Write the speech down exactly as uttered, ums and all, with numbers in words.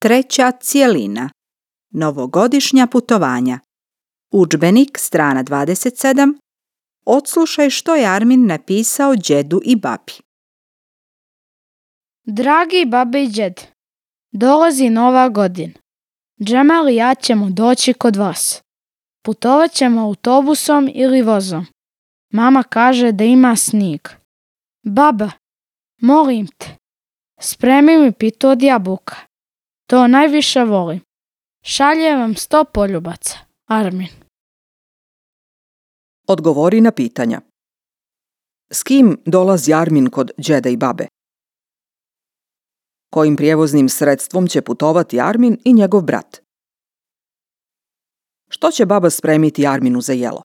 Treća cjelina. Novogodišnja putovanja. Udžbenik, strana dvadeset sedam. Odslušaj što je Armin napisao džedu i babi. Dragi babi i džed, dolazi nova godina. Džemal i ja ćemo doći kod vas. Putovat ćemo autobusom ili vozom. Mama kaže da ima snijeg. Baba, molim te, spremi mi pitu od jabuka. To najviše volim. Šaljem vam sto poljubaca. Armin. Odgovori na pitanja. S kim dolazi Armin kod džeda i babe? Kojim prijevoznim sredstvom će putovati Armin i njegov brat? Što će baba spremiti Arminu za jelo?